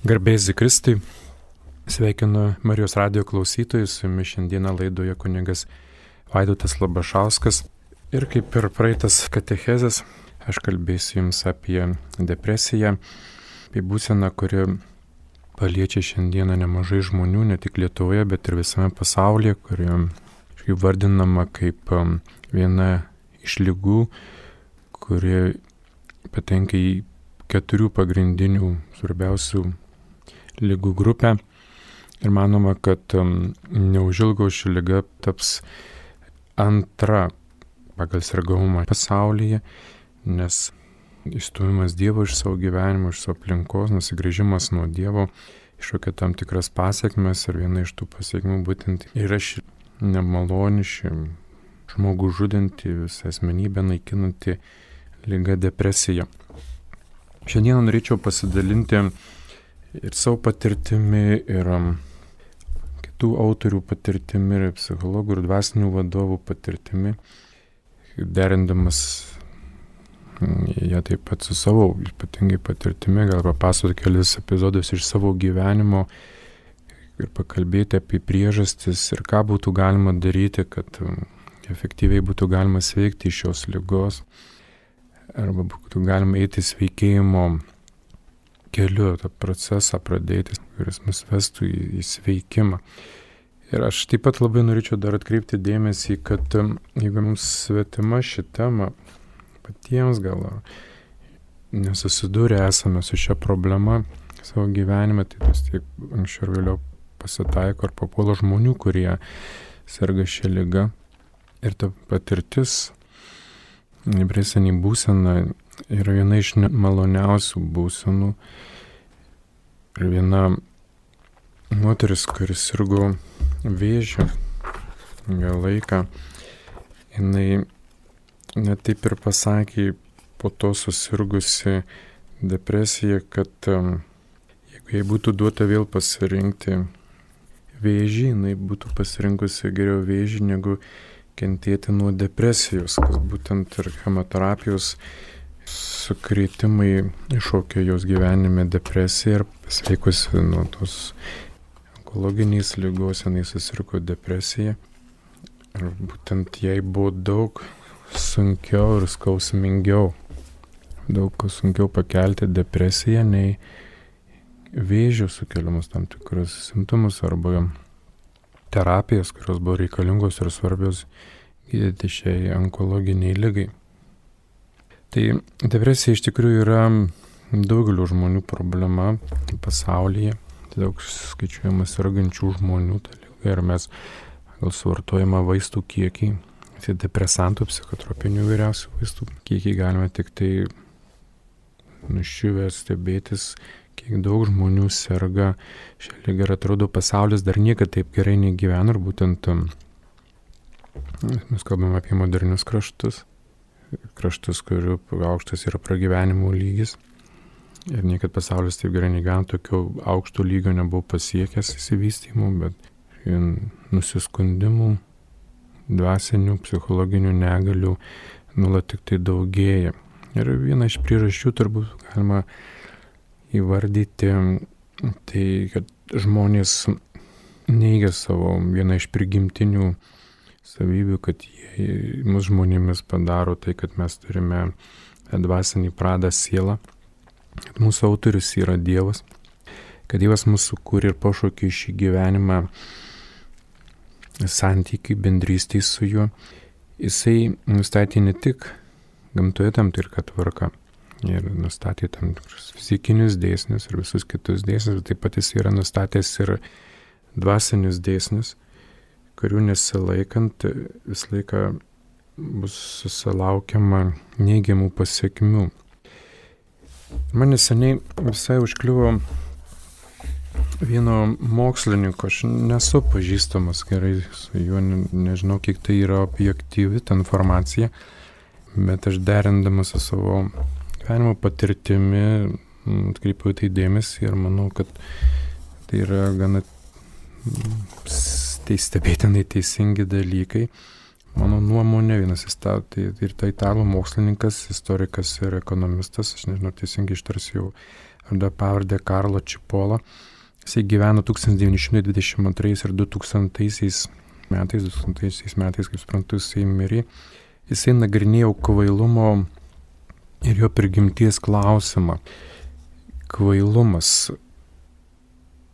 Garbėsi Kristui, sveikinu Marijos radijo klausytojus, su jumis šiandieną laidoje kunigas Vaidotas Labašauskas. Ir kaip ir praeitas katechezės, aš kalbėsiu jums apie depresiją, apie būseną, kuri paliečia šiandieną nemažai žmonių, ne tik Lietuvoje, bet ir visame pasaulyje, kuri vardinama kaip viena iš ligų, kuri patenka į 4 pagrindinių svarbiausių ligų grupę. Ir manoma, kad neužilgo ši liga taps antra pagal sergamumą pasaulyje, nes išstūmimas Dievo iš savo gyvenimo, iš savo aplinkos, nusigręžimas nuo Dievo iššaukia tam tikras pasiekmes, ir viena iš tų pasiekmių būtent yra ši nemaloni, ši žmogų žudanti, visą asmenybę naikinanti liga depresija. Šiandien norėčiau pasidalinti ir savo patirtimi, ir kitų autorių patirtimi, ir psichologų, ir dvasinių vadovų patirtimi, derindamas ją taip pat su savo ypatingai patirtimi, gal papasakoti kelis epizodus iš savo gyvenimo ir pakalbėti apie priežastis ir ką būtų galima daryti, kad efektyviai būtų galima sveikti iš šios ligos, arba būtų galima eiti sveikėjimo keliu, tą procesą pradėti, kuris mus vestų į sveikimą. Ir aš taip pat labai norėčiau dar atkreipti dėmesį, kad jeigu mums svetima ši tema, patiems gal nesusidūrę esame su šia problema savo gyvenime, tai tas tiek anksčiau ir vėliau pasitaiko ar papuola žmonių, kurie serga šią ligą. Ir ta patirtis, depresinė būsena yra viena iš maloniausių būsenų. Ir viena moteris, kuris sirgo vėžiu ilgą laiką, jinai net taip ir pasakė po to susirgusi depresiją, kad jeigu jai būtų duota vėl pasirinkti vėžį, jinai būtų pasirinkusi geriau vėžį negu kentėti nuo depresijos, kas būtent ir chemoterapijos sukrėtimai iššaukė jos gyvenime depresiją, ir pasveikusi nuo tos onkologiniais ligos, jinai susirgo depresiją. Ir būtent jai buvo daug sunkiau ir skausmingiau, daug sunkiau pakelti depresiją nei vėžio sukeliamus tam tikrus simptomus arba terapijas, kurios buvo reikalingos ir svarbios gydyti šiai onkologiniai ligai. Tai depresija iš tikrųjų yra daugelio žmonių problema pasaulyje. Daug skaičiuojama sergančių žmonių ta liga, ir mes gal suvartojama vaistų kiekį, depresantų, psichotropinių įvairiausių vaistų kiekį galime tik tai nuščiuvę stebėtis, kiek daug žmonių serga šią ligą, ir atrodo pasaulis dar niekada taip gerai negyvena, ir būtent mes kalbame apie modernius kraštus, kurių aukštas yra pragyvenimo lygis, ir niekad pasaulis taip gerai negyvena, tokio aukšto lygio nebuvo pasiekęs įsivystymų, bet nusiskundimų, dvasinių, psichologinių negalių nuolat tik tai daugėja. Ir viena iš priežasčių turbūt galima įvardyti tai, kad žmonės neigia savo vieną iš prigimtinių savybių, kad jie mus žmonėmis padaro tai, kad mes turime dvasinį pradą sielą, kad mūsų autorius yra Dievas, kad Dievas mūsų sukūrė ir pašaukė šį gyvenimą santykiai, bendrystei su juo. Jisai nustatė ne tik gamtoje tam tikrą tvarką, ir nustatė tam tikrus fizikinius dėsnius ir visus kitus dėsnius, bet taip pat jis yra nustatęs ir dvasinius dėsnius, kurių nesilaikant visą laiką bus susilaukiama neigiamų pasiekmių. Man neseniai visai užkliuvo vieno mokslininko, aš nesu pažįstamas gerai su juo, nežinau, kiek tai yra objektyvi ta informacija, bet aš derindamas su savo gyvenimo patirtimi atkreipiau tai dėmesį, ir manau, kad tai yra gana stebėtinai teisingi dalykai. Mano nuomonė, vienas tai ir tai italų mokslininkas, istorikas ir ekonomistas, aš nežinau, teisingai ištarsiu vardą pavardę Karlo Cipolla. Jisai gyveno 1922 ir 2000 metais, kaip suprantu, jisai mirė. Jisai nagrinėjo kvailumo ir jo prigimties klausimą. Kvailumas.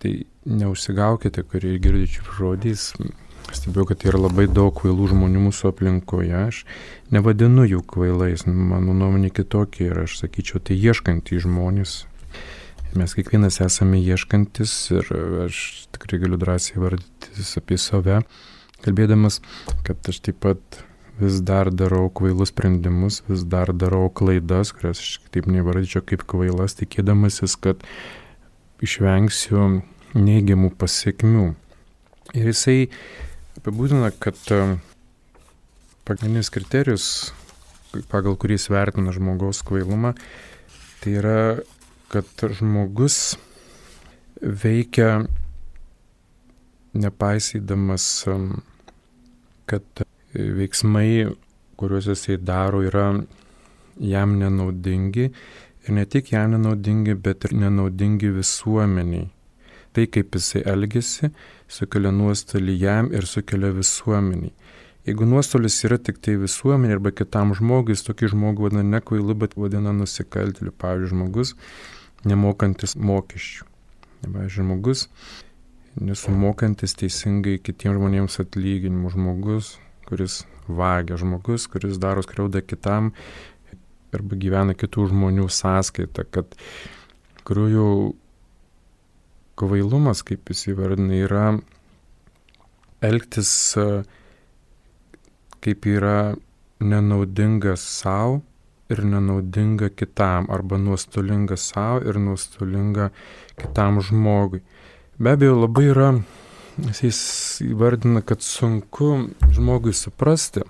Tai neužsigaukite, kurie girdite šių žodžiais. Stebėjau, kad yra labai daug kvailų žmonių mūsų aplinkoje. Aš nevadinu jų kvailais, mano nuomonė kitokia ir aš sakyčiau, tai ieškantys žmonės. Mes kiekvienas esame ieškantis ir aš tikrai galiu drąsiai vardytis apie save, kalbėdamas, kad aš taip pat vis dar darau kvailus sprendimus, vis dar darau klaidas, kurias aš taip nevardyčiau kaip kvailas, tikėdamasis, kad išvengsiu neigiamų pasiekmių. Ir jisai apibūdina, kad pagrindinis kriterijus, pagal kurį jis vertina žmogaus kvailumą, tai yra, kad žmogus veikia nepaisydamas, kad veiksmai, kuriuos jisai daro, yra jam nenaudingi ir ne tik jam nenaudingi, bet ir nenaudingi visuomeniai. Tai, kaip jisai elgesi, sukelia nuostolį jam ir sukelia visuomeniai. Jeigu nuostolis yra tik tai visuomenė arba kitam žmogui, jis tokį žmogų vadina ne kvailu, bet vadina nusikaltėliu. Pavyzdžiui, žmogus nemokantis mokesčių. Pavyzdžiui, žmogus nesumokantis teisingai kitiems žmonėms atlyginimų. Žmogus, kuris vagia. Žmogus, kuris daro skriaudą kitam arba gyvena kitų žmonių sąskaita. Kad kurių kvailumas, kaip jis įvardina, yra elgtis kaip yra nenaudinga savo ir nenaudinga kitam, arba nuostolinga savo ir nuostolinga kitam žmogui. Be abejo, labai yra, jis įvardina, kad sunku žmogui suprasti,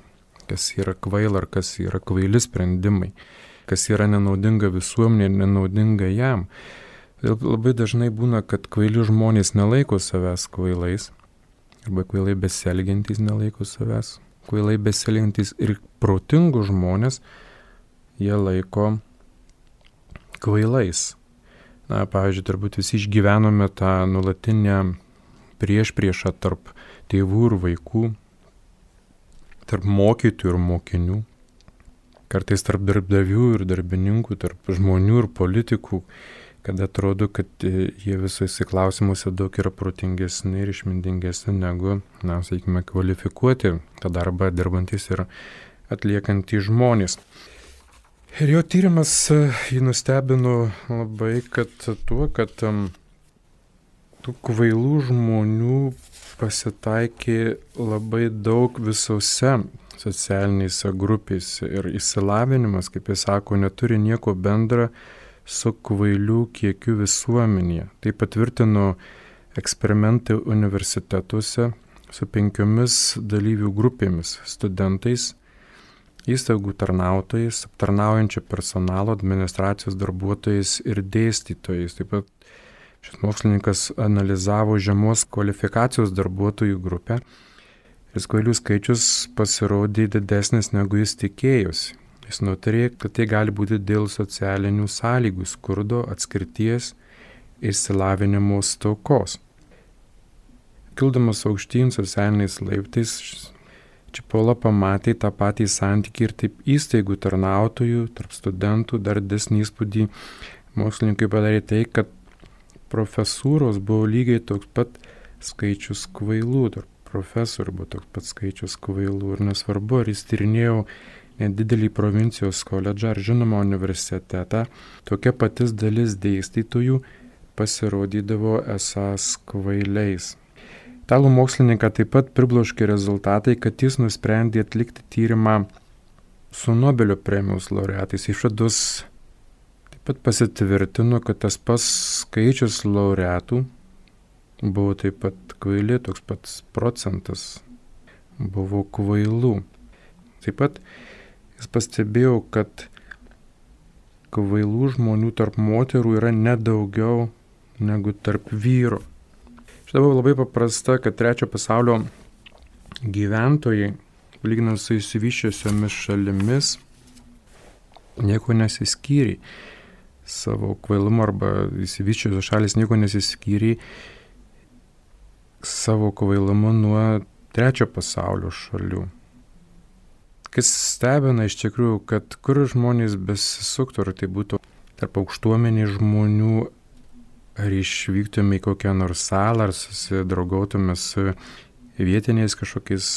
kas yra kvaila ar kas yra kvaili sprendimai, kas yra nenaudinga visuomenė ir nenaudinga jam. Labai dažnai būna, kad kvaili žmonės nelaiko savęs kvailais, arba kvailai besielgiantys nelaiko savęs kvailai besielgiantys, ir protingų žmonės jie laiko kvailais. Na, pavyzdžiui, turbūt visi išgyvenome tą nuolatinę priešpriešą tarp tėvų ir vaikų, tarp mokytojų ir mokinių, kartais tarp darbdavių ir darbininkų, tarp žmonių ir politikų, kad atrodo, kad jie visose klausimuose daug yra protingesni ir išmintingesni negu, na, sakykime, kvalifikuoti tą darbą dirbantys ir atliekantys žmonės. Ir jo tyrimas jį nustebino labai, kad tuo, kad tų kvailų žmonių pasitaikė labai daug visose socialinėse grupėse ir išsilavinimas, kaip jis sako, neturi nieko bendra su kvailių kiekiu visuomenėje. Tai patvirtino eksperimentai universitetuose su 5 dalyvių grupėmis - studentais, įstaigų tarnautojais, aptarnaujančio personalo, administracijos darbuotojais ir dėstytojais. Taip pat šis mokslininkas analizavo žemos kvalifikacijos darbuotojų grupę ir kvailių skaičius pasirodė didesnis negu jis tikėjosi. Jis nutarė, kad tai gali būti dėl socialinių sąlygų, skurdo, atskirties ir išsilavinimo stokos. Kildamas aukštyn socialiniais laiptais, Cipolla pamatė tą patį santykį ir taip įstaigų tarnautojų, tarp studentų. Dar didesnį įspūdį mokslininkai padarė tai, kad profesūros buvo lygiai toks pat skaičius kvailų, tarp profesorių buvo toks pat skaičius kvailų. Ir nesvarbu, ar jis tyrinėjo nedidelį provincijos koledžą ar žinoma universitetą, tokia patys dalis dėstytojų pasirodydavo esąs kvailiais. Italų mokslininką taip pat pribloškė rezultatai, kad jis nusprendė atlikti tyrimą su Nobelio premijos laureatais. Išvados taip pat pasitvirtino, kad tas pats skaičius laureatų buvo taip pat kvaili, toks pats procentas buvo kvailų. Taip pat jis pastebėjo, kad kvailų žmonių tarp moterų yra nedaugiau negu tarp vyrų. Šitą buvo labai paprasta, kad trečio pasaulio gyventojai, lyginant su išsivysčiusiomis šalimis, nieko nesiskyrė. savo kvailumu arba įsivyščiusios šalis nieko nesiskyrė savo kvailumu nuo trečio pasaulio šalių. Kas stebina iš tikrųjų, kad kur žmonės besisuktų, ar tai būtų tarp aukštuomenių žmonių, ar išvyktume į kokią nors salą, ar susidraugautume su vietiniais kažkokiais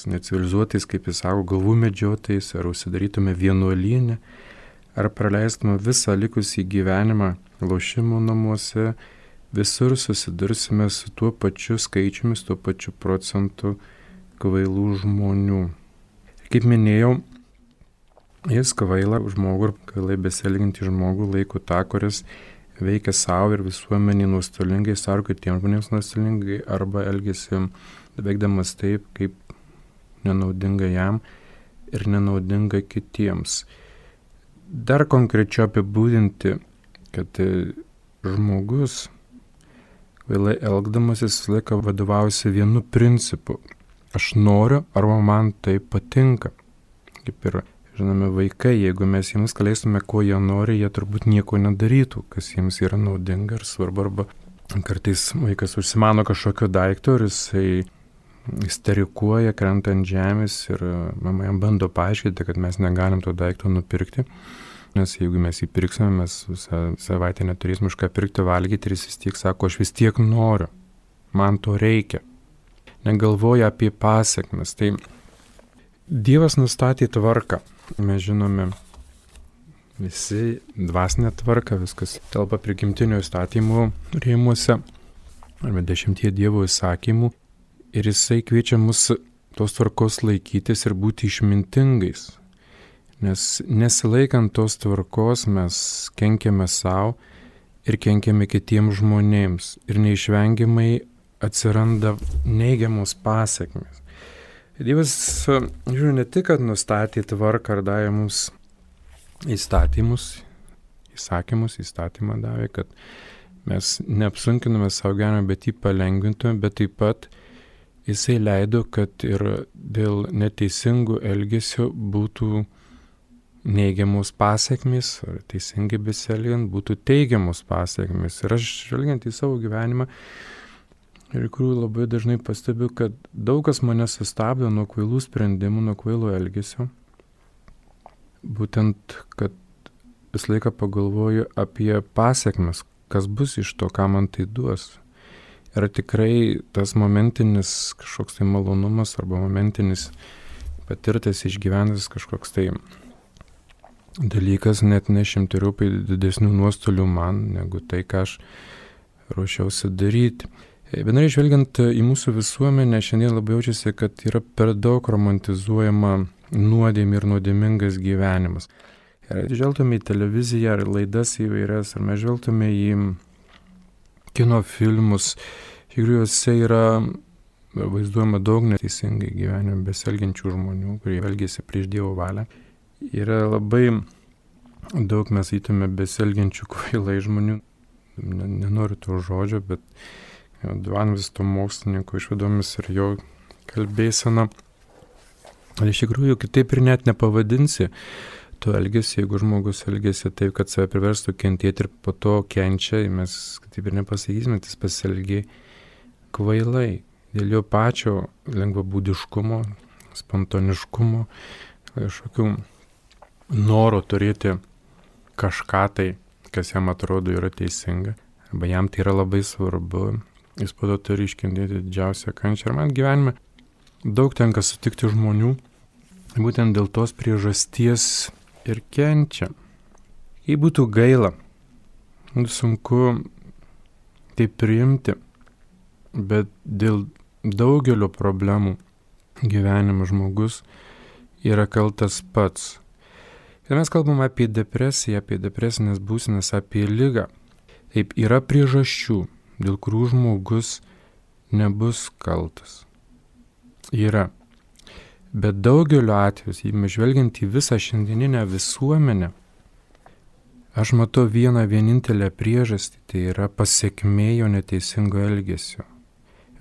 necivilizuotais, kaip jis sako, galvų medžiotojais, ar užsidarytume vienuolyne, ar praleistume visą likusį gyvenimą lošimo namuose, visur susidursime su tuo pačiu skaičiumi, su tuo pačiu procentu kvailų žmonių. Kaip minėjau, jis kvailą žmogų ir kvailai besielgiantį žmogų laiko tą, kuris veikia savo ir visuomenį nuostolingai, savo kitiems žmonėms nuostolingai, arba elgiasi veikdamas taip, kaip nenaudinga jam ir nenaudinga kitiems. Dar konkrečiau apibūdinti, kad žmogus kvailai elgdamasis visą laiką vadovaujasi vienu principu. Aš noriu, arba man tai patinka. Kaip ir, žinome, vaikai, jeigu mes jiems leistume, ko jie nori, jie turbūt nieko nedarytų, kas jiems yra naudinga ir svarbu. Arba kartais vaikas užsimano kažkokio daikto ir jisai isterikuoja, krenta ant žemės ir mama jam bando paaiškinti, kad mes negalim to daikto nupirkti. Nes jeigu mes jį pirksime, mes visą savaitę neturėsime už ką pirkti, valgyti ir jis vis tiek sako, aš vis tiek noriu, man to reikia. Negalvoja apie pasekmes. Tai Dievas nustatė tvarką. Mes žinome visi dvasinę tvarką, viskas telpa prigimtinio įstatymų rėmuose, arba 10 Dievo įsakymų. Ir jisai kviečia mus tos tvarkos laikytis ir būti išmintingais. Nes nesilaikant tos tvarkos mes kenkiame savo ir kenkiame kitiems žmonėms. Ir neišvengiamai atsiranda neigiamos pasekmės. Dievas, žiūrėjau, ne tik, kad nustatė tvarką ar davė mums įstatymą davė, kad mes neapsunkiname savo gyvenimą, bet jį palengvintume, bet taip pat jisai leido, kad ir dėl neteisingų elgesio būtų neigiamos pasekmės, ar teisingai besielgiant būtų teigiamos pasekmės. Ir aš žvelgiant į savo gyvenimą, ir kurių labai dažnai pastebiu, kad daug kas mane sustabdo nuo kvailų sprendimų, nuo kvailo elgesio. Būtent, kad visą laiką pagalvoju apie pasekmes, kas bus iš to, ką man tai duos. Ir tikrai tas momentinis kažkoks tai malonumas arba momentinis patirtas išgyventas kažkoks tai dalykas net nešimteriopai didesnių nuostolių man, negu tai, ką aš ruošiausi daryti. Bendrai žvelgiant į mūsų visuomenę, šiandien labai jaučiasi, kad yra per daug romantizuojama nuodėmė ir nuodėmingas gyvenimas. Ir žvelgtume į televiziją ar laidas įvairias, ar mes žvelgtume į kino filmus, iš tikrųjų juose yra vaizduojama daug neteisingai gyvenime besielgiančių žmonių, kurie elgiasi prieš Dievo valią. Yra labai daug mes įtume besielgiančių kvailai žmonių, nenoriu to žodžio, bet Dvanvis to mokslininko išvadomis ir jo kalbėsena. Iš tikrųjų, kitaip ir net nepavadinsi to elgesį, jeigu žmogus elgesi taip, kad save priverstų kentėti ir po to kenčia, mes kitaip ir nepasakysime, jis pasielgia kvailai. Dėl jo pačio lengvabūdiškumo, spontaniškumo, kažkokių noro turėti kažką tai, kas jam atrodo yra teisinga, arba jam tai yra labai svarbu. Jis po to turi iškentėti didžiausią kančią. Ir man gyvenime daug tenka sutikti žmonių, būtent dėl tos priežasties ir kenčia. Jei būtų gaila, sunku tai priimti, bet dėl daugelio problemų gyvenimo žmogus yra kaltas pats. Ir mes kalbam apie depresiją, apie depresinės būsenas, apie ligą. Taip, yra priežasčių, dėl kurių žmogus nebus kaltas. Yra. Bet daugeliu atveju, jei žvelgiant į visą šiandieninę visuomenę, aš matau vieną vienintelę priežastį, tai yra pasekmė jo neteisingo elgesio.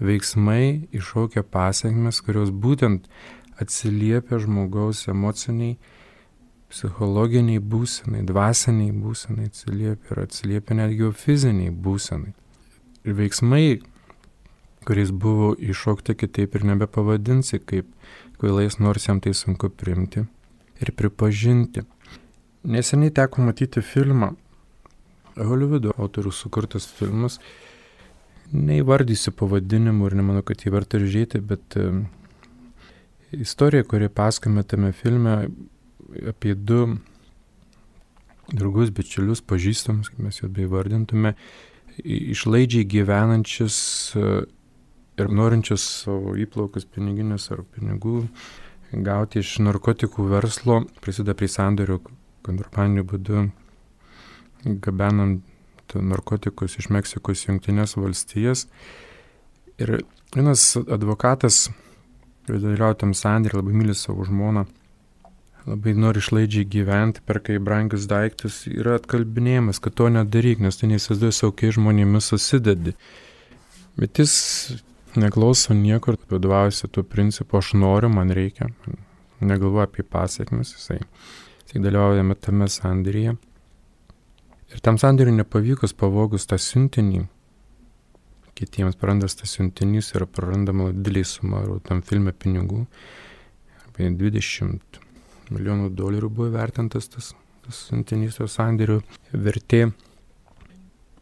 Veiksmai iššaukia pasekmes, kurios būtent atsiliepia žmogaus emociniai psichologiniai būsenai, dvasiniai būsenai atsiliepia ir atsiliepia netgi fiziniai būsenai. Ir veiksmai, kuris buvo iššaukti, kitaip ir nebepavadinsi kaip kvailais, nors jam tai sunku priimti ir pripažinti. Neseniai teko matyti filmą, Holivudo autorių sukurtas filmas, neįvardysiu pavadinimų ir nemanau, kad jį verta žiūrėti, bet istorija, kuri pasakojama tame filme apie du draugus, bičiulius, pažįstamus, kaip mes juos beįvardintume, išlaidžiai gyvenančius ir norinčius savo įplaukas piniginės ar pinigų gauti iš narkotikų verslo, prisideda prie sandorių kontrabandiniu būdu, gabenant narkotikus iš Meksikos į Jungtines valstijas. Ir vienas advokatas, dalyvauja tam sandėrį, labai myli savo žmoną, labai nori išlaidžiai gyventi, perka į brangius daiktus, yra atkalbinėjimas, kad to nedaryk, nes tai neįsivaizduoji, su kokiais žmonėmis susidedi. Bet jis neklauso niekur, vadovaujasi tuo principu, aš noriu, man reikia, negalvoja apie pasiekmes, jisai dalyvauja tame sandėryje. Ir tam sandėriui nepavykus pavogus tą siuntinį, kitiems prarandas tas siuntinys ir prarandama didelį sumą, tam filme pinigų, apie $20 milijonų buvo vertintas tas siuntinys, to sandėrių vertė.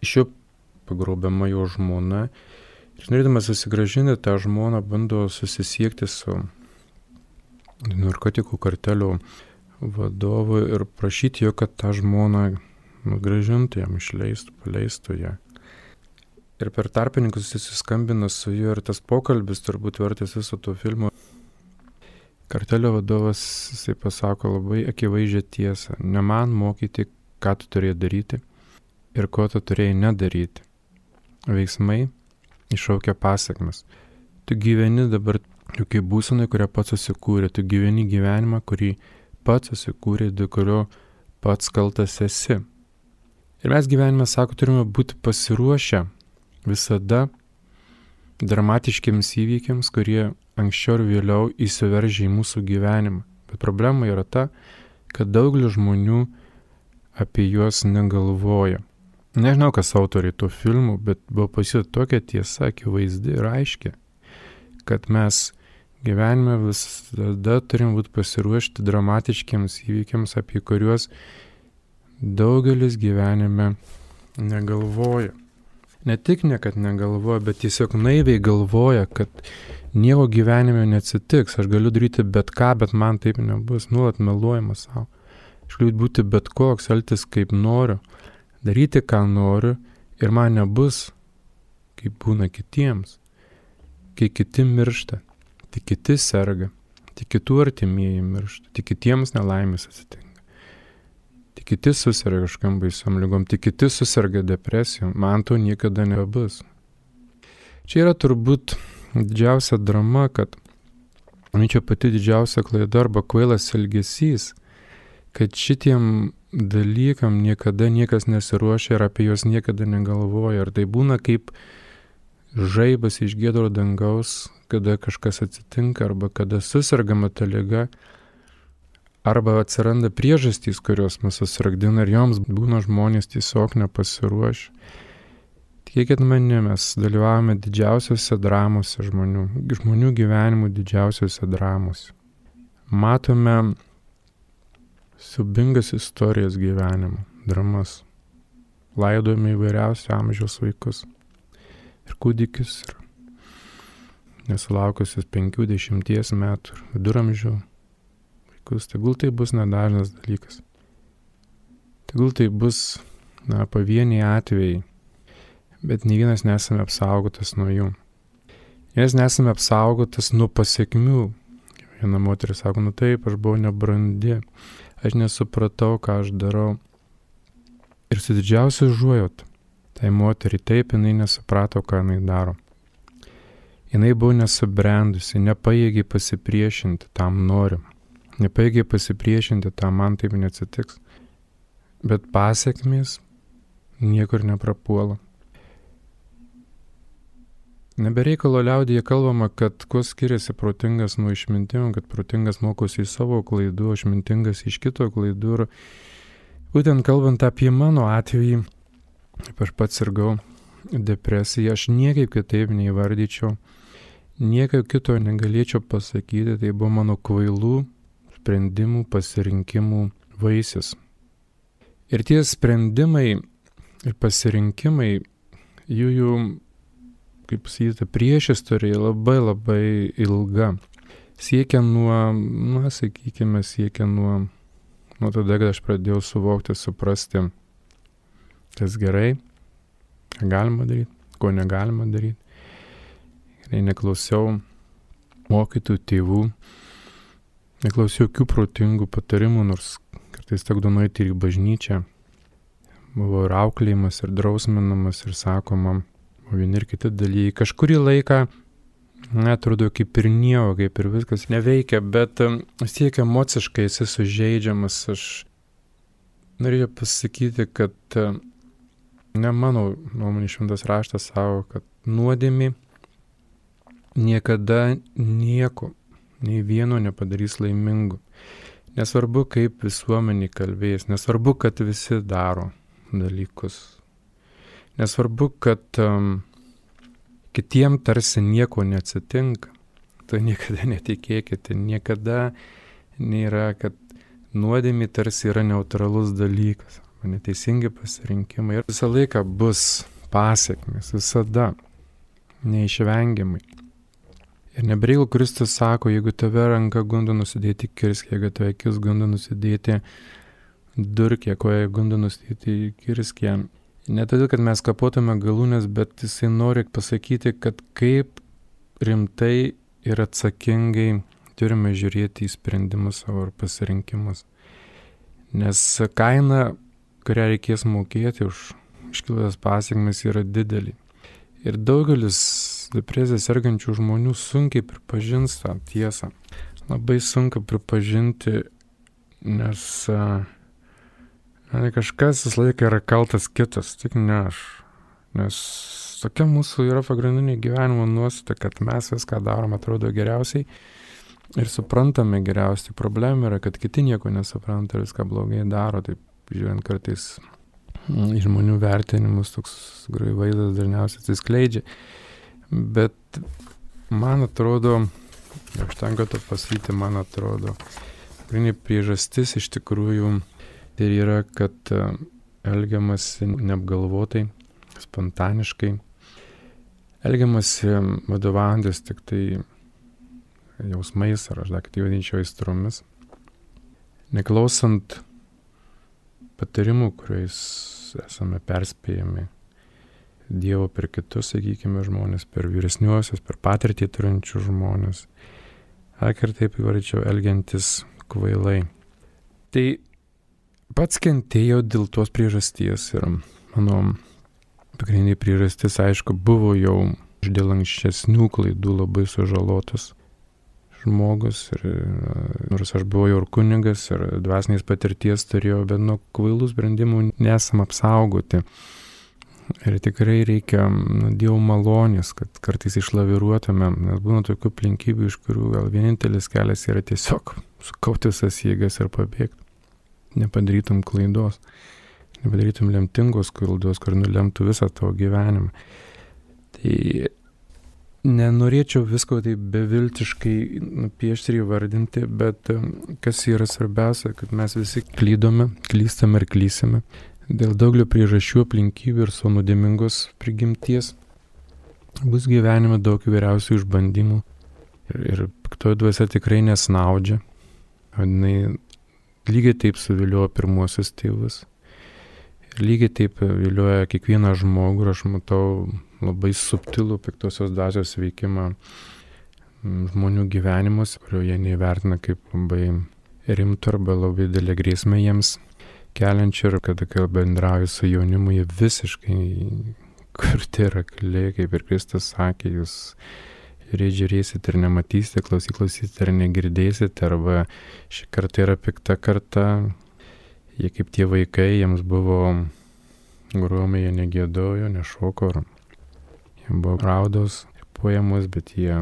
Iš jo pagrobiama jo žmona ir norėdamas susigrąžinti tą žmoną bando susisiekti su narkotikų kartelio vadovu ir prašyti jo, kad tą žmoną grąžintų, jam išleistų, paleistų ją. Ir per tarpininkus susiskambina su juo ir tas pokalbis turbūt vertas viso to filmo. Kartelio vadovas, jisai pasako labai akivaizdžią tiesą. Ne man mokyti, ką tu turėjai daryti ir ko tu turėjai nedaryti. Veiksmai iššaukia pasiekmes. Tu gyveni dabar tokiai būsenai, kurią pats susikūrė. Tu gyveni gyvenimą, kurį pats susikūrė, dėl kurio pats kaltas esi. Ir mes gyvenime, sako, turime būti pasiruošę visada dramatiškiams įvykiams, kurie anksčiau ir vėliau įsiveržia į mūsų gyvenimą. Bet problema yra ta, kad daugelis žmonių apie juos negalvoja. Nežinau, kas autoriai to filmų, bet buvo pasiūlyta tokia tiesa, akivaizdi ir aiški, kad mes gyvenime visada turim būti pasiruošti dramatiškiams įvykiams, apie kuriuos daugelis gyvenime negalvoja. Ne tik niekad negalvoja, bet tiesiog naiviai galvoja, kad nieko gyvenime neatsitiks. Aš galiu daryti bet ką, bet man taip nebus. Nuolat meluojama savo. Aš galiu būti bet koks, elgtis kaip noriu, daryti ką noriu ir man nebus, kaip būna kitiems. Kai kiti miršta, tik kiti serga, tik kitų artimieji miršta, tik kitiems nelaimės atsitinka. Tik kiti susirga kažkam baisiom ligom, tik kiti susirga depresijom, man to niekada nebus. Čia yra turbūt didžiausia drama, kad čia pati didžiausia klaida arba kvailas elgesys, kad šitiem dalykam niekada niekas nesiruošia ir apie juos niekada negalvoja. Ir tai būna kaip žaibas iš giedro dangaus, kada kažkas atsitinka arba kada susirgama ta liga, arba atsiranda priežastys, kurios mus susirgdina ir joms būna žmonės tiesiog nepasiruošę. Tikėkit mane, mes dalyvavome didžiausiose dramose žmonių gyvenimų didžiausiose dramose. Matome siaubingas istorijas gyvenimo, dramas. Laidojame įvairiausių amžiaus vaikus ir kūdikius, ir nesulaukusius 50 metų, ir viduramžių. Tegul tai bus nedažnas dalykas. Tegul tai bus pavieniai atvejai, bet nei vienas nesame apsaugotas nuo jų. Nes nesame apsaugotas nuo pasiekmių. Viena moteris sako, taip, aš buvau nebrandi, aš nesupratau, ką aš darau. Ir su didžiausiu užuojauta, tai moteriai taip, jinai nesuprato, ką jinai daro. Jinai buvo nesubrendusi, nepajėgiai pasipriešinti tam norim. Nepajėgiai pasipriešinti, tam man taip neatsitiks. Bet pasiekmės niekur neprapuola. Nebereikalo liaudyje kalbama, kad kuo skiriasi protingas nuo išmintingo, kad protingas mokosi iš savo klaidų, išmintingas iš kito klaidų. Ir būtent kalbant apie mano atvejį, aš pats sirgau depresiją, aš niekaip kitaip neįvardyčiau, niekaip kito negalėčiau pasakyti, tai buvo mano kvailų sprendimų, pasirinkimų vaisius. Ir tie sprendimai ir pasirinkimai, jų kaip sakyti, priešistorė labai labai ilga. Siekia nuo tada, kad aš pradėjau suvokti, suprasti, kas gerai, ką galima daryti, ko negalima daryti. Ir neklausiau mokytojų, tėvų, neklausiau jokių protingų patarimų, nors kartais tekdavo nueiti ir į bažnyčią. Buvo ir auklėjimas, ir drausminamas, ir sakoma, vieni ir kiti dalykai. Kažkurį laiką, atrodo, kaip ir nieko, kaip ir viskas neveikia, bet tiek emociškai esi sužeidžiamas. Aš norėjau pasakyti, kad ne mano nuomonė šventas raštas sako, kad nuodėmė niekada nieko, nei vieno nepadarys laimingu. Nesvarbu, kaip visuomenė kalbės, nesvarbu, kad visi daro dalykus. Nesvarbu, kad kitiem tarsi nieko neatsitinka. Tai niekada netikėkite, niekada nėra, kad nuodėmė tarsi yra neutralus dalykas, neteisingi pasirinkimai. Ir visą laiką bus pasekmės, visada, neišvengiamai. Ir nebereikalo Kristus sako, jeigu tave ranka gundo nusidėti kirskį, jeigu tave akis gundo nusidėti durkį, koja gundo nusidėti kirskį. Ne todėl, kad mes kapotume galūnės, bet jisai nori pasakyti, kad kaip rimtai ir atsakingai turime žiūrėti į sprendimus savo ir pasirinkimus. Nes kaina, kurią reikės mokėti už iškilusias pasekmes, yra didelė. Ir daugelis depresiją sergančių žmonių sunkiai pripažins tą tiesą. Labai sunku pripažinti, nes kažkas visą laiką yra kaltas kitas, tik ne aš. Nes tokia mūsų yra pagrindinė gyvenimo nuostata, kad mes viską darom, atrodo geriausiai ir suprantame geriausiai. Problema yra, kad kiti nieko nesupranta ir viską blogai daro. Taip, žiūrint kartais į žmonių vertinimus, toks vaizdas dažniausiai atsiskleidžia. Bet man atrodo, užtenka to pasakyti, man atrodo, pagrindinė priežastis iš tikrųjų tai yra, kad elgiamasi neapgalvotai, spontaniškai, elgiamasi vadovaujantis tik tai jausmais, ar aš dar kitaip vadinčiau aistromis, neklausant patarimų, kuriais esame perspėjami Dievo per kitus, sakykime, žmonės, per vyresniuosius, per patirtį turinčių žmonės, ar taip įvardyčiau, elgiantis kvailai. Tai pats kentėjau dėl tos priežasties ir mano pagrindinė priežastis, aišku, buvo jau dėl anksčesnių klaidų labai sužalotas žmogus, ir nors aš buvau jau ir kunigas ir dvasinės patirties turėjau, bet nuo kvailų sprendimų nesam apsaugoti. Ir tikrai reikia Dievo malonės, kad kartais išlaviruotume, nes būna tokių aplinkybių, iš kurių gal vienintelis kelias yra tiesiog sukauti visas jėgas ir pabėgti. Nepadarytum klaidos, nepadarytum lemtingos klaidos, kur nulemtų visą tavo gyvenimą. Tai nenorėčiau visko taip beviltiškai nupiešti ir įvardinti, bet kas yra svarbiausia, kad mes visi klystame ir klysime. Dėl daugelio priežasčių, aplinkybių ir savo nuodėmingos prigimties bus gyvenime daug įvairiausių išbandymų ir piktoji dvasia tikrai nesnaudžia. Jinai lygiai taip suvilioja pirmuosius tėvus. Lygiai taip vilioja kiekvieną žmogų ir aš matau labai subtilų piktosios dvasios veikimą žmonių gyvenimus, kurio jie neįvertina kaip labai rimtų arba labai didelę grėsmę jiems keliančią, ir kad kai bendrauju su jaunimu, jie visiškai kurti ir akli, kaip ir Kristus sakė, jūs žiūrėsite ir nematysite, klausysite ir negirdėsite, arba ši karta yra pikta karta, jie kaip tie vaikai, jiems buvo gromai, jie negėdojo, nešoko, jie buvo raudos, poemos, bet jie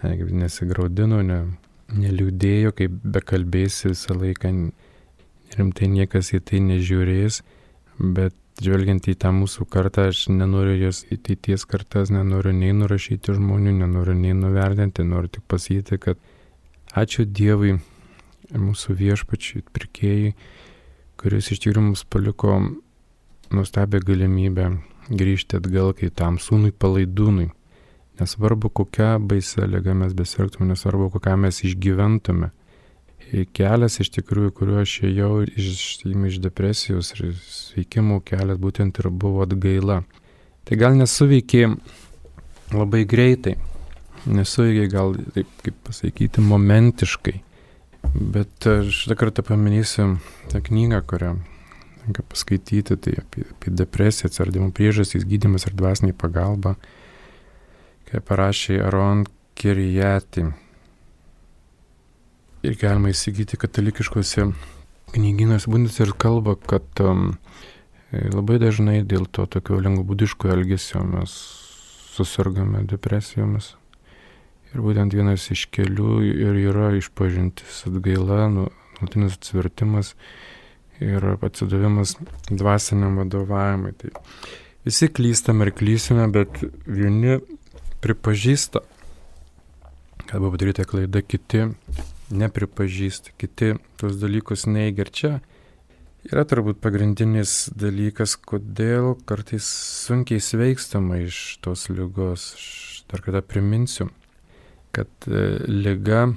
nesigraudino, neliūdėjo, kaip bekalbėsi visą laiką, rimtai niekas į tai nežiūrės, bet žvelgiant į tą mūsų kartą, aš nenoriu jos ateities kartas, nenoriu nei nurašyti žmonių, nenoriu nei nuvertinti, noriu tik pasakyti, kad ačiū Dievui, mūsų viešpačiui, pirkėjai, kuris iš tikrųjų mums paliko nuostabią galimybę grįžti atgal kai tam sūnui palaidūnui. Nesvarbu, kokią baisę ligą mes besirgtume, nesvarbu, kokią mes išgyventume. Kelias iš tikrųjų, kuriuo aš ėjau iš depresijos ir sveikimo kelias būtent ir buvo atgaila. Tai gal nesuveikė labai greitai, nesuveikė gal, taip kaip pasakyti, momentiškai. Bet aš tą kartą paminėsiu tą knygą, kurią tenka paskaityti, tai apie depresiją, atsiradimo priežastys, gydymas ir dvasinė pagalba, kai parašė Aron Kirijati. Ir galima įsigyti katalikiškose knygynuose, būtent ir kalba, kad labai dažnai dėl to tokio lengvabūdiško elgesio mes susirgame depresijomis. Ir būtent vienas iš kelių ir yra išpažintis, atgaila, nuolatinis atsivertimas ir atsidavimas dvasiniam vadovavimui. Tai visi klystame ir klysime, bet vieni pripažįsta, kad buvo padaryta klaida, kiti nepripažįsta, kiti tuos dalykus neigia. Ir čia yra turbūt pagrindinis dalykas, kodėl kartais sunkiai sveikstama iš tos ligos. Aš dar kada priminsiu, kad liga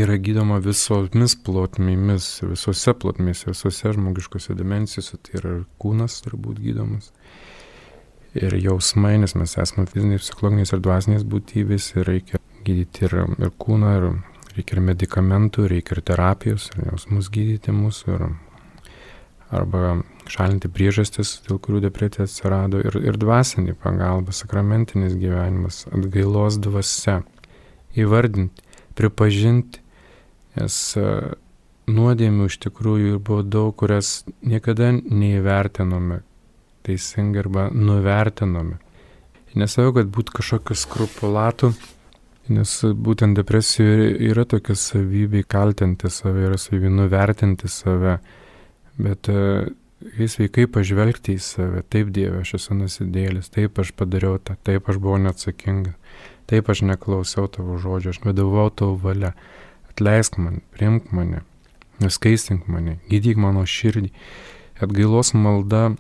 yra gydoma visomis plotmėmis, visose plotmėse, visose žmogiškose dimensijose, tai yra kūnas turbūt gydomas. Ir jausmai, nes mes esame fizinės, psichologinės ir dvasinės būtybės, ir reikia gydyti ir kūną, ir reikia ir medikamentų, reikia ir terapijos, ir jausmus gydyti mūsų, arba šalinti priežastis, dėl kurių depresija atsirado, ir dvasinė pagalba, sakramentinis gyvenimas, atgailos dvasia, įvardinti, pripažinti, nes nuodėmių iš tikrųjų buvo daug, kurias niekada neįvertinome teisingai arba nuvertinome. Nesakau, kad būtų kažkokių skrupulatų, nes būtent depresijoje yra tokia savybė kaltinti save, yra savybė nuvertinti save, bet kai sveikai pažvelgti į save, taip Dieve, aš esu nusidėjėlis, taip aš padariau tą, taip aš buvau neatsakingas, taip aš neklausiau tavo žodžio, aš vadovau tavo valia, atleisk man, priimk mane, nuskaistink mane, gydyk mano širdį. Atgailos malda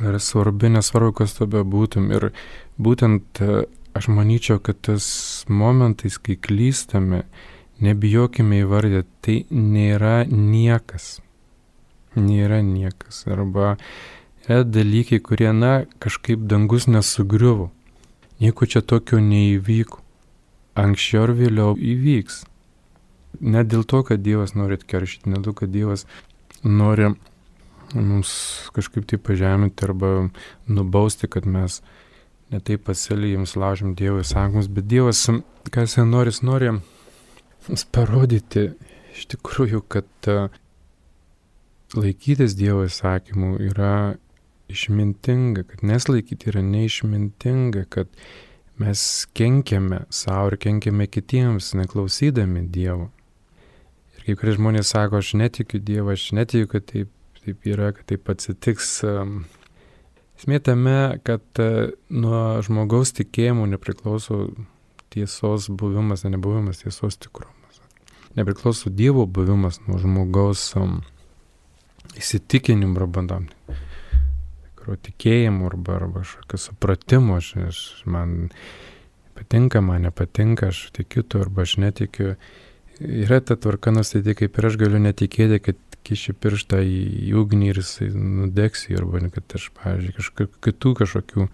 yra svarbi, nesvarbu, kas tu bebūtum. Ir būtent aš manyčiau, kad tas momentais, kai klystame, nebijokime įvardyti, tai nėra niekas. Nėra niekas. Arba yra dalykai, kurie, kažkaip dangus nesugriuvo. Nieko čia tokio neįvyko. Anksčiau ar vėliau įvyks. Ne dėl to, kad Dievas nori atkeršyti, ne dėl to, kad Dievas nori mums kažkaip tai pažeminti arba nubausti, kad mes netaip pasielgėm, laužėm Dievo įsakymus, bet Dievas, ką jis nori mums parodyti iš tikrųjų, kad laikytis Dievo įsakymų yra išmintinga, kad neslaikyti yra neišmintinga, kad mes kenkiame savo ir kenkiame kitiems, neklausydami Dievo. Ir kai kurie žmonės sako, aš netikiu Dievą, aš netikiu, kad taip yra, kad taip atsitiks. Esmė tame, kad nuo žmogaus tikėjimų nepriklauso tiesos buvimas, nebuvimas, tiesos tikrumas. Nepriklauso Dievo buvimas nuo žmogaus įsitikinimų arba tikėjimų arba kažkokio supratimo. Man patinka, man nepatinka, aš tikiu tu arba aš netikiu. Yra ta tvarka nustatyti, kaip ir aš galiu netikėti, kad kiši pirštą į ugnį ir jisai nudegs, arba kad aš, pavyzdžiui, kažkokių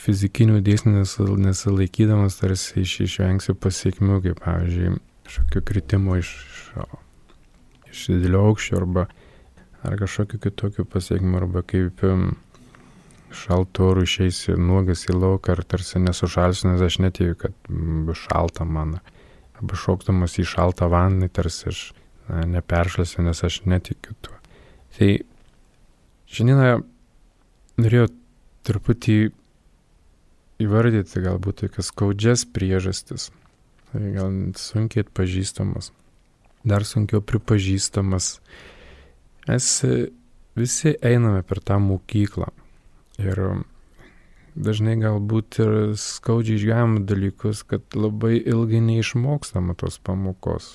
fizikinių dėsnių nesilaikydamas tarsi išvengsiu pasiekmių, kaip, pavyzdžiui, kažkokio kritimo iš didelio aukščio ar kažkokių kitokių pasiekmių, arba kaip šaltų orų išeisi nuogas į lauką ar tarsi nesušalsiu, nes aš netikiu, kad bus šalta man. Arba šokdamas į šaltą vandenį, tarsi aš neperšlasiu, nes aš netikiu tuo. Tai šiandieną norėjau truputį įvardyti galbūt tokias skaudžias priežastis. Tai gal sunkiai atpažįstamas, dar sunkiau pripažįstamas. Mes visi einame per tą mokyklą ir dažnai galbūt ir skaudžiai išgyvename dalykus, kad labai ilgai neišmokstama tos pamokos.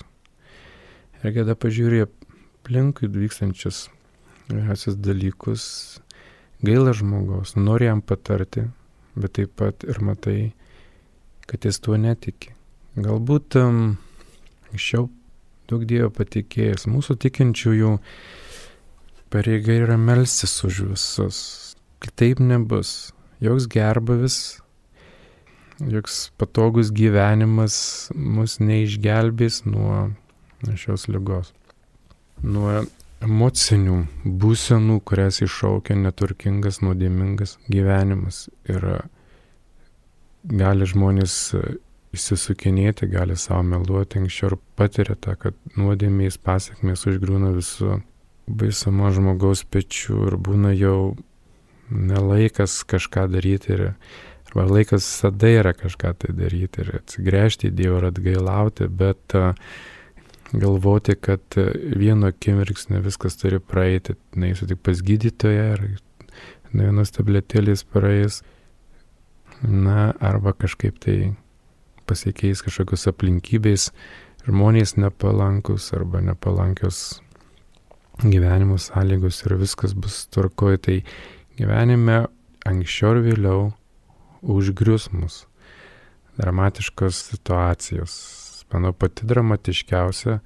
Ir kada pažiūrė aplinkui vykstančius vyriausius dalykus, gaila žmogaus, nori jam patarti, bet taip pat ir matai, kad jis tuo netiki. Galbūt anksčiau daug Dievo patikėjęs. Mūsų tikinčiųjų pareiga yra melstis už visus. Kitaip nebus. Joks gerbuvis, joks patogus gyvenimas mus neišgelbės nuo šios ligos. Nuo emocinių būsenų, kurias iššaukia neturtingas, nuodėmingas gyvenimas. Ir gali žmonės išsisukinėti, gali savo meluoti, anksčiau ir patiria tą, kad nuodėmės pasekmės užgriūna visų baisumą žmogaus pečių ir būna jau nelaikas kažką daryti, arba laikas visada yra kažką tai daryti ir atsigręžti į Dievą ir atgailauti, bet galvoti, kad vieno akimirksnio viskas turi praeiti, neįsiu tik pas gydytoją ir vienos tabletėlės praeis, arba kažkaip tai pasikeis kažkokios aplinkybės, žmonės nepalankus arba nepalankios gyvenimo sąlygos ir viskas bus tvarkoj. Tai gyvenime anksčiau ir vėliau užgrius mus dramatiškos situacijos. Manau, pati dramatiškiausia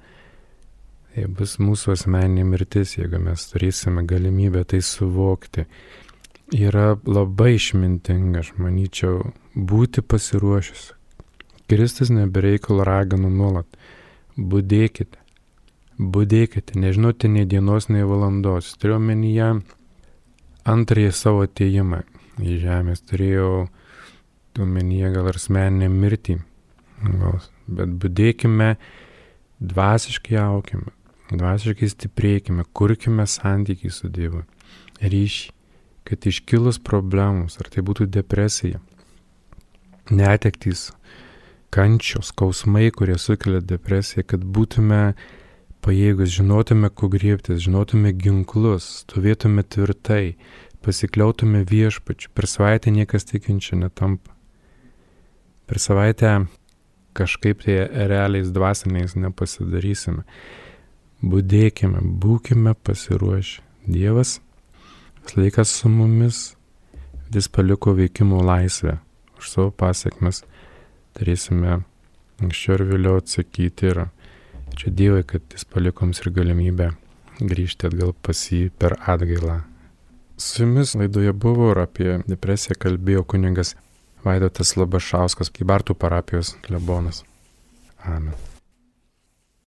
tai bus mūsų asmeninė mirtis, jeigu mes turėsime galimybę tai suvokti. Yra labai išmintinga, aš manyčiau, būti pasiruošęs. Kristus nebereikalo ragino nuolat. Budėkite, nežinote nei dienos, nei valandos. Turėjau omenyje antrąjį savo atėjimą į žemės. Turėjau omenyje gal ir asmeninę mirtį. Bet budėkime, dvasiškai aukime, dvasiškai stiprėkime, kurkime santykiai su Dievu. Ryšį, kad iškilus problemus, ar tai būtų depresija, netektys, kančios, skausmai, kurie sukelia depresiją, kad būtume pajėgus, žinotume, ko griebtis, žinotume ginklus, stovėtume tvirtai, pasikliautume viešpačiu. Per savaitę niekas tikinčių netampa. Per savaitę kažkaip tai realiais dvasiniais nepasidarysime. Budėkime, būkime pasiruošę. Dievas vis laikas su mumis, jis paliko veikimo laisvę. Už savo pasiekmes turėsime anksčiau ir vėliau atsakyti ir čia Dievui, kad jis paliko mums ir galimybę grįžti atgal pas jį per atgailą. Su jumis laidoje buvo ir apie depresiją kalbėjo kunigas Vaidotas Labašauskas, Kybartų parapijos klebonas. Amen.